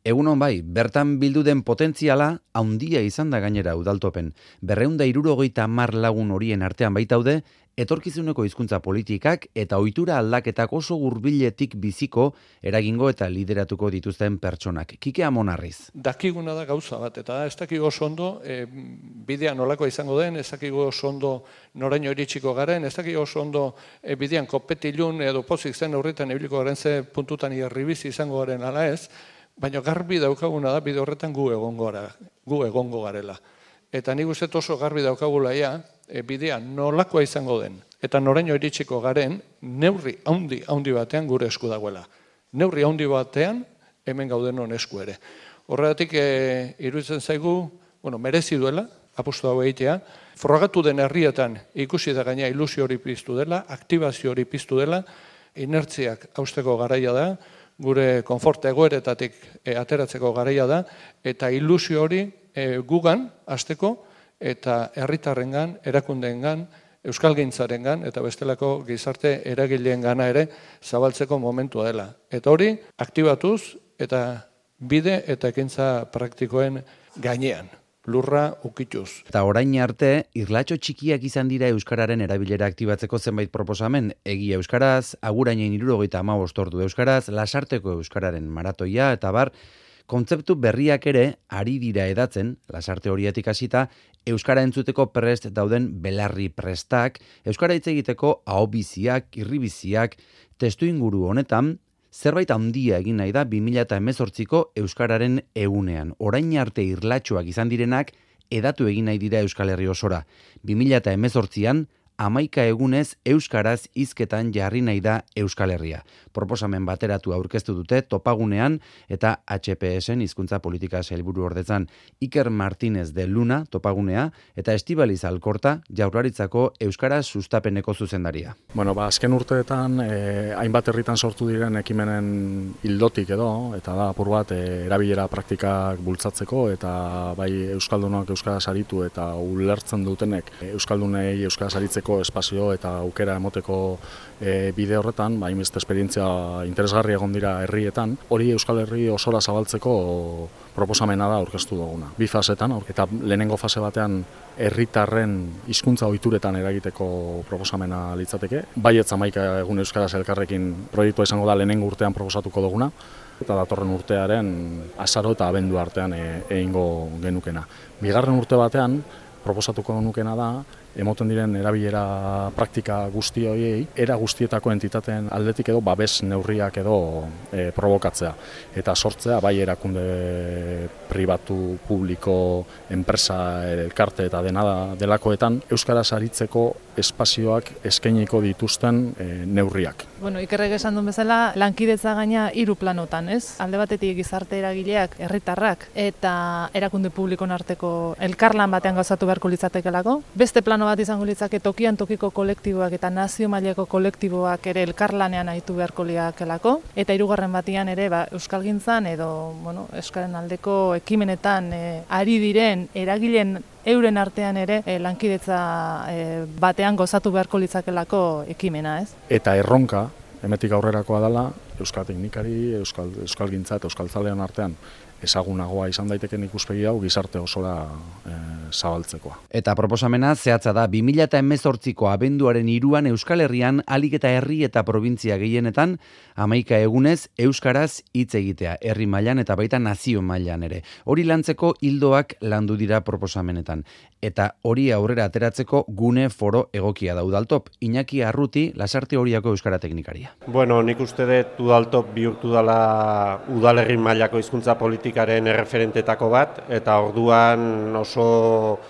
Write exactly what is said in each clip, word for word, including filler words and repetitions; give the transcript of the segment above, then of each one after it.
Egunon bai, bertan bildu den potentziala handia izan da gainera udaltopen. Berreun da hirurogeita hamar lagun horien artean baitaude, etorkizuneko hizkuntza politikak eta ohitura aldaketak oso hurbiletik biziko eragingo eta lideratuko dituzten pertsonak. Kike Amonarriz. Dakiguna da gauza bat, eta ez dakigu oso ondo e, bidea nolakoa izango den, ez dakigu oso ondo noraino iritsiko garen, ez dakigu oso ondo e, bidean kopetilun edo pozik zen horretan ibiliko garen ze puntutan irribizi izango garen ala ez, baina garbi daukaguna da bide horretan gu egongo gara, gu egongo garela. Eta nik uste oso garbi daukagula ja, e, bidea nolakoa izango den, eta noraino iritsiko garen, neurri haundi, haundi batean gure esku dagoela. Neurri haundi batean, hemen gaudenon esku ere. Horregatik, e, iruditzen zaigu, bueno, merezi duela, apostu hau egitea, frogatu den herrietan ikusi da gaina ilusio hori piztu dela, aktibazio hori piztu dela, inertziak hausteko garaia da, gure konfort egoeretatik e, ateratzeko garaia da, eta ilusio hori e, gugan, hasteko, eta herritarrengan, erakundeengan, euskalgintzarengan, eta bestelako gizarte eragileen gana ere zabaltzeko momentua dela. Eta hori, aktibatuz, eta bide eta ekintza praktikoen gainean. Lurra ukituz. Eta orain arte, irlatxo txikiak izan dira euskararen erabilera aktibatzeko zenbait proposamen, egia euskaraz, agurainen hirurogeita hamabost ordu euskaraz, lasarteko euskararen maratoia eta bar, kontzeptu berriak ere ari dira edatzen, lasarte horietik hasita, euskara entzuteko prest dauden belarri prestak, euskara hitz egiteko ahobiziak, irribiziak, testu inguru honetan, zerbait handia egin nahi da bi mila hemezortziko euskararen egunean. Orain arte irlatxoak izan direnak edatu egin nahi dira Euskal Herri osora. bi mila hemezortzian hamaika egunez euskaraz hizketan jarri nahi da Euskal Herria. Proposamen bateratu aurkeztu dute topagunean eta H P S-en hizkuntza politika sailburu ordetzan Iker Martínez de Luna topagunea eta Estibaliz Alkorta Jaurlaritzako euskara sustapeneko zuzendaria. Bueno, ba, azken urteetan eh, hainbat herritan sortu diren ekimenen ildotik edo, eta da apur bat eh, erabilera praktikak bultzatzeko eta bai euskaldunok euskara saritu eta ulertzen dutenek eh, euskaldunei euskara saritzeko espazio eta aukera emoteko e, bide horretan, ba, hainbeste esperientzia interesgarri egon dira herrietan, hori Euskal Herri osora zabaltzeko proposamena da aurkeztu duguna. Bi fasetan, eta lehenengo fase batean herritarren hizkuntza ohituretan eragiteko proposamena litzateke. Baietz hamaika egun euskaraz elkarrekin proiektua izango da lehenengo urtean proposatuko duguna, eta datorren urtearen azaro eta abendu artean e, egingo genukena. Bigarren urte batean proposatuko nukena da, emoten diren erabilera praktika guzti horiei, era guztietako entitateen aldetik edo babes neurriak edo e, provokatzea. Eta sortzea, bai erakunde pribatu, publiko, enpresa, elkarte eta dena delakoetan, euskaraz aritzeko espazioak eskainiko dituzten e, neurriak. Bueno, Ikerrek esan duen bezala, lankidetza gaina hiru planotan, ez? Alde batetik gizarte eragileak, herritarrak eta erakunde publikon arteko elkarlan batean gauzatu beharko litzatekelako. Beste plano bat izango litzake tokian tokiko kolektiboak eta nazio mailako kolektiboak ere elkarlanean aritu beharko liakelako. Eta hirugarren batean ere ba, euskalgintzan edo bueno, euskaren aldeko ekimenetan e, ari diren eragileen euren artean ere e, lankidetza e, batean gozatu beharko litzakelako ekimena, ez? Eta erronka, hemetik aurrerakoa dela, euskal teknikari, euskal, euskalgintza eta euskaltzalean artean ezagunagoa izan daiteken ikuspegi hau gizarte osora e, zabaltzekoa. Eta proposamena zehatza da bi mila hemezortziko abenduaren hiruan Euskal Herrian alik eta herri eta probintzia gehienetan hamaika egunez euskaraz hitz egitea, herri mailan eta baita nazio mailan ere. Hori lantzeko ildoak landu dira proposamenetan. Eta hori aurrera ateratzeko gune foro egokia da Udaltop. Iñaki Arruti, Lasarte Oriako euskara teknikaria. Bueno, nik uste dut Udaltop bihurtu dela udalerri mailako hizkuntza politikaren erreferentetako bat, eta orduan oso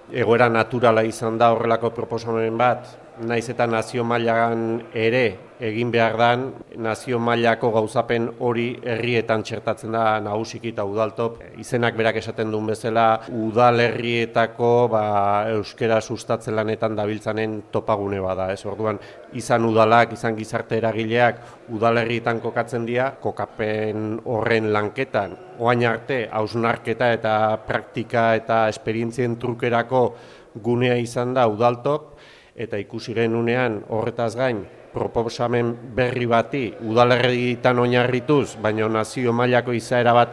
egoera naturala izan da horrelako proposamen bat, naiz eta nazio mailan ere egin behar dan, nazio mailako gauzapen hori herrietan txertatzen da nagusiki eta Udaltop. Izenak berak esaten duen bezala, udalerrietako ba, euskera sustatzen lanetan dabiltzanen topagune bada. Ez orduan, izan udalak, izan gizarte eragileak udalerrietan kokatzen dira, kokapen horren lanketan. Oain arte, hausnarketa eta praktika eta esperientzien trukerako gunea izan da Udaltop, eta ikusi genunean horretaz gain proposamen berri bati udalerrietan oinarrituz, baina nazio mailako izaera bat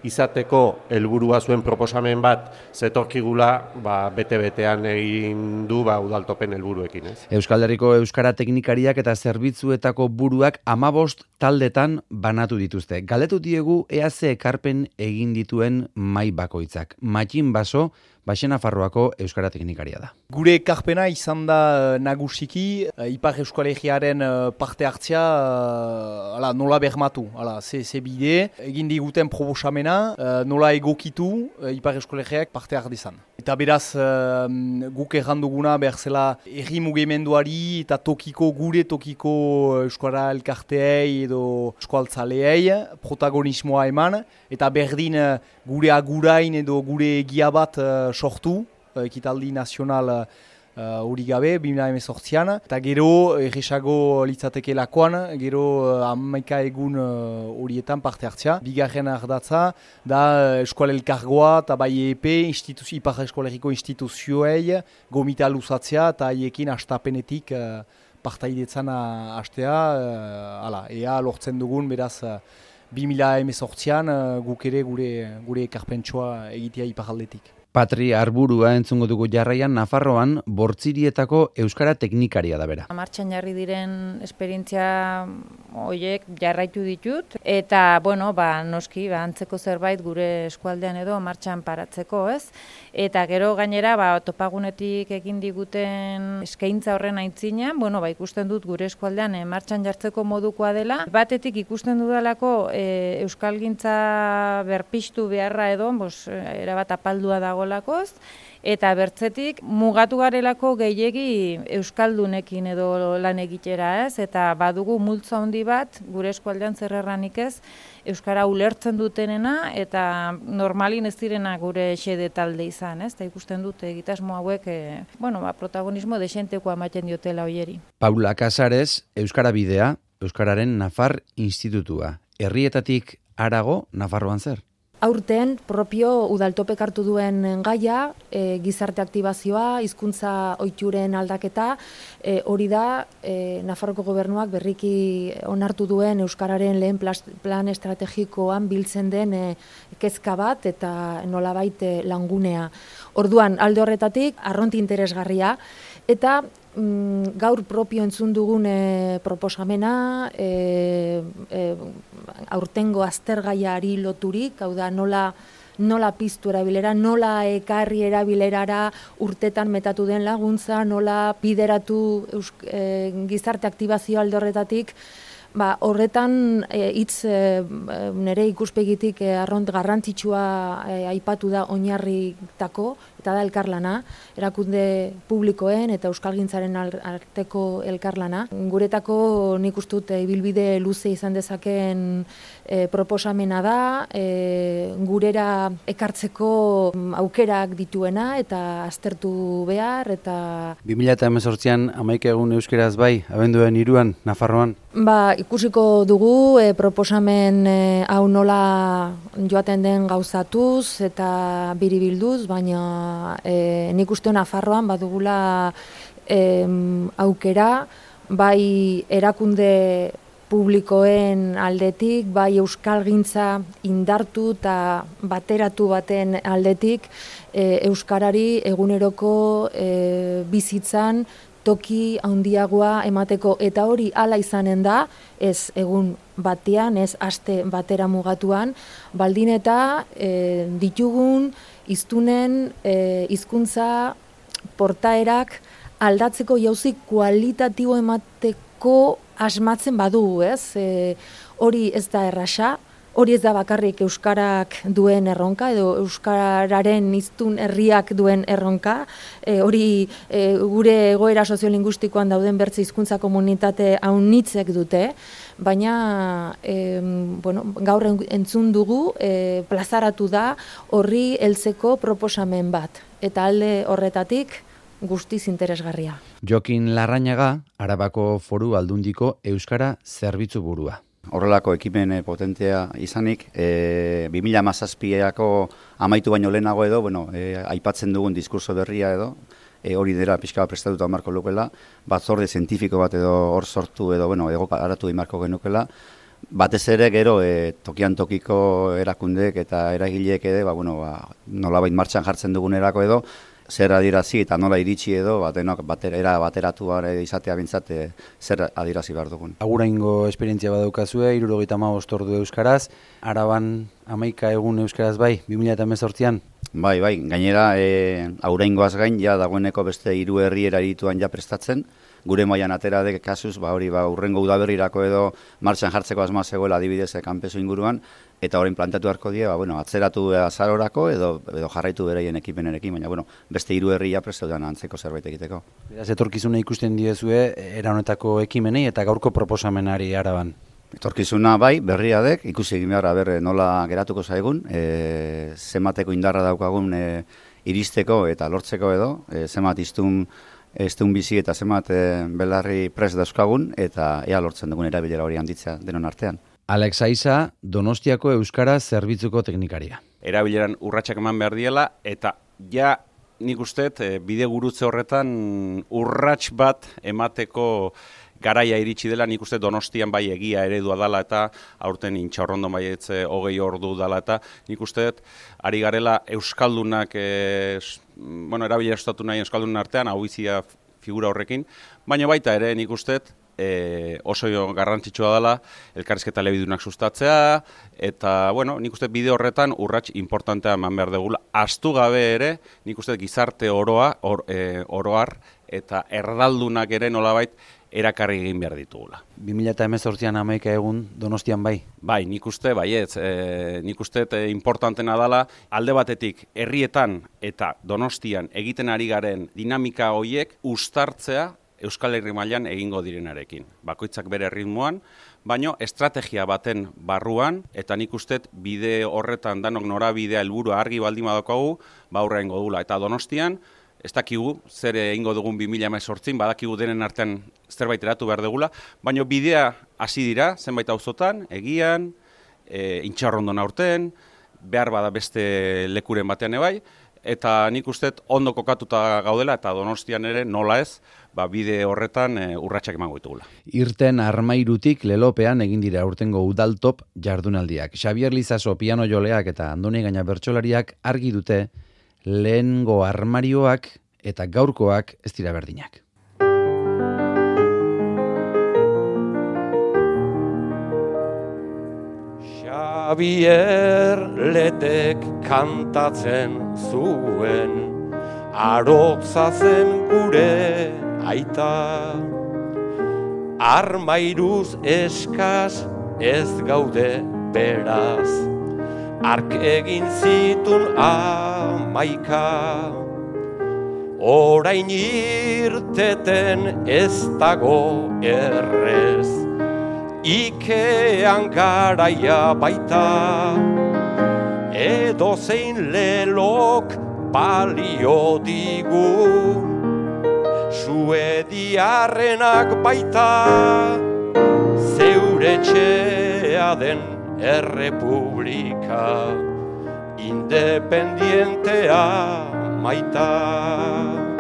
izateko helburua zuen proposamen bat zetorkigula, ba, bete-betean egin du ba, udaltopen helburuekin. Ez? Euskal Herriko euskara teknikariak eta zerbitzuetako buruak hamabost taldetan banatu dituzte. Galdetu diegu ea ze ekarpen egin dituen mahai bakoitzak. Matxin Baso, Baxe Nafarroako euskara teknikaria da. Gure ekarpena izan da nagusiki, Ipar Euskalegiaren parte hartzea ala, nola bermatu, ala, ze, ze bide, egin diguten proposamena, nola egokitu Ipar Euskalegiak parte hartzezan. Eta beraz, guk erranduguna behar zela erri mugimenduari eta tokiko, gure tokiko euskara elkarteei edo euskaltzaleei protagonismoa eman, eta berdin gure agurain edo gure egia bat sortu, ekitaldi nazional hori uh, gabe, bi mila hemezortzian, eta gero erresago litzateke lakoan, gero hamaika egun horietan uh, parte hartzea. Bigarren ardatza da eskual elkargoa eta bai E P, Ipar Eskolegiko instituzioei gomita luzatzea eta haiekin hastapenetik uh, partaidetzan hastea, uh, ala, ea lortzen dugun beraz uh, bi mila hemezortzian uh, guk ere gure, gure ekarpentsua egitea iparaldetik. Patri Arburua entzungo dugu jarraian Nafarroan bortzirietako euskara teknikaria da bera. Martxan jarri diren esperientzia horiek jarraitu ditut eta bueno, ba, noski ba, antzeko zerbait gure eskualdean edo martxan paratzeko, ez? Eta gero gainera ba, topagunetik egin diguten eskaintza horren aitzinean, bueno, ba, ikusten dut gure eskualdean e, martxan jartzeko modukoa dela. Batetik ikusten dudalako e, euskalgintza berpiztu beharra edo, bos, erabat apaldua dago lakoz, eta bertzetik mugatu garelako gehiegi euskaldunekin edo lan egitera, ez? Eta badugu multzo handi bat gure eskualdean zer erranik ez euskara ulertzen dutenena eta normalin ez direna gure xede talde izan, ez? Eta ikusten dute egitasmo hauek e, bueno, ba, protagonismo desentekoa ematen diotela hoieri. Paula Casares, Euskara Bidea, Euskararen Nafar Institutua. Herrietatik harago Nafarroan zer? Aurten propio udaltopek hartu duen gaia, e, gizarte aktibazioa, hizkuntza ohituren aldaketa, e, hori da e, Nafarroko gobernuak berriki onartu duen euskararen lehen plan estrategikoan biltzen den e, kezka bat eta nolabait e, langunea. Orduan alde horretatik arronti interesgarria eta mm, gaur propio entzun dugun e, proposamena e, e, aurtengo aztergaiari loturik, hau da nola, nola piztu erabilera, nola ekarri erabilerara urtetan metatu den laguntza, nola bideratu eusk, e, gizarte aktibazio alde horretatik, ba, horretan hitz e, e, nire ikuspegitik e, arront garrantzitsua e, aipatu da oinarritako, eta da elkarlana, erakunde publikoen eta euskalgintzaren arteko elkarlana. Guretako nik uste dut ibilbide luze izan dezakeen e, proposamena da, e, gurera ekartzeko aukerak dituena eta aztertu behar. Eta bi mila hemezortzian hamaika egun euskeraz bai, abenduaren hiruan Nafarroan? Ba, ikusiko dugu e, proposamen e, hau nola joaten den gauzatuz eta biribilduz, baina E, nik uste Nafarroan badugula e, aukera, bai erakunde publikoen aldetik, bai euskalgintza indartu eta bateratu baten aldetik, e, euskarari eguneroko e, bizitzan toki handiagoa emateko, eta hori hala izanen da, ez egun batean, ez aste batera mugatuan, baldin eta e, ditugun hiztunen e, hizkuntza portaerak aldatzeko jauzi kualitatibo emateko asmatzen badugu, ez? E, hori ez da erraxa, hori ez da bakarrik euskarak duen erronka edo euskararen hiztun herriak duen erronka, e, hori e, gure egoera soziolinguistikoan dauden bertze hizkuntza komunitate aunitzek dute, baina e, bueno, gaur entzun dugu e, plazaratu da horri heltzeko proposamen bat, eta alde horretatik guztiz interesgarria. Jokin Larrañaga, Arabako Foru Aldundiko Euskara Zerbitzu burua. Horrelako ekimen potentea izanik, e, bi mila hamazazpiako amaitu baino lehenago edo, bueno, e, aipatzen dugun diskurso berria edo, e, hori dira pixka bat prestatuta marko lukela, batzorde zientifiko bat edo hor sortu edo, bueno, ego garatu marko genukela, batez ere gero e, tokian tokiko erakundeek eta eragileek ere, ba, bueno, ba, nolabait martxan jartzen dugunerako edo, zer adierazi eta nola iritsi edo, batenok batera, era bateratu izatea bintzat, e, zer adierazi behar dugun. Aguraingo esperientzia badaukazue, hirurogeita hamabost ordu euskaraz, Araban hamaika egun euskaraz bai, bi mila hemezortzian? Bai, bai, gainera e, auraingoaz gain, ja dagoeneko beste hiru herriera irituan ja prestatzen, gure mailan atera dek kasuz, ba hori ba urrengo udaberrirako edo martxan jartzeko asmoa zegoela adibidez kanpeso inguruan, eta orain plantatu beharko die, ba bueno, atzeratu azarorako edo edo jarraitu beraien ekipenerekin, baina bueno, beste hiru herria prest daudean antzeko zerbait egiteko. Beraz etorkizuna ikusten diezue era honetako ekimenei eta gaurko proposamenari Araban. Etorkizuna bai, berria dek, ikusi egin behar ber nola geratuko zaigun, e, zenbateko indarra daukagun e, iristeko eta lortzeko edo, e, zenbat iztun Eztun bizi eta zenbat e, belarri prest dauzkagun eta ea lortzen dugun erabilera hori handitzea denon artean. Alex Aiza, Donostiako Euskara Zerbitzuko teknikaria. Erabileran urratsak eman behar diela eta ja nik usteet e, bide gurutze horretan urrats bat emateko garaia iritsi dela, nik uste Donostian bai egia eredua dela eta aurten intxaurrondo baietze hogei ordu dela eta nik uste ari garela Euskaldunak, e, bueno, erabilera estatu nahi Euskaldunen artean, hau izia figura horrekin, baina baita ere nik uste e, oso garrantzitsua dela elkarrizketa elebidunak sustatzea, eta bueno, nik uste bide horretan urrats importantea eman behar dugula. Ahaztu gabe ere, nik uste gizarte oroa, or, e, oroar, eta erdaldunak ere nolabait erakarri egin behar ditugula. bi mila hemezortzian hamaika egun Donostian bai? Bai, nik uste, baietz, e, nik uste e, importantena dela, alde batetik herrietan eta Donostian egiten ari garen dinamika horiek uztartzea Euskal Herri mailan egingo direnarekin. Bakoitzak bere ritmoan, baino estrategia baten barruan, eta nik uste bide horretan danok norabidea helburua argi baldin badaukagu, ba aurrera egingo dugula. Eta Donostian, ez dakigu, zer egingo dugun bi mila hemezortzian, badakigu denen artean zerbait eratu behar dugula, baina bidea hasi dira, zenbait auzotan, egian, e, intxarrondon aurten, behar bada beste lekuren batean ebai, eta nik uste ondo kokatuta gaudela, eta Donostian ere nola ez, ba, bide horretan e, urratsak emango ditugula. Irten Armairutik Lelopean egin dira aurtengo udaltop jardunaldiak. Xabier Lizaso piano joleak eta Andoni Gaina bertsolariak argi dute lehengo armarioak eta gaurkoak ez dira berdinak. Xabier Letek kantatzen zuen, arotza zen gure aita. Armairuz eskaz ez gaude beraz, ark egin zitun amaika. Orain irteten ez dago errez, ikean garaia baita. Edo zein lelok balio digu, suediarrenak baita. Zeure txea den errepublika, independientea maita.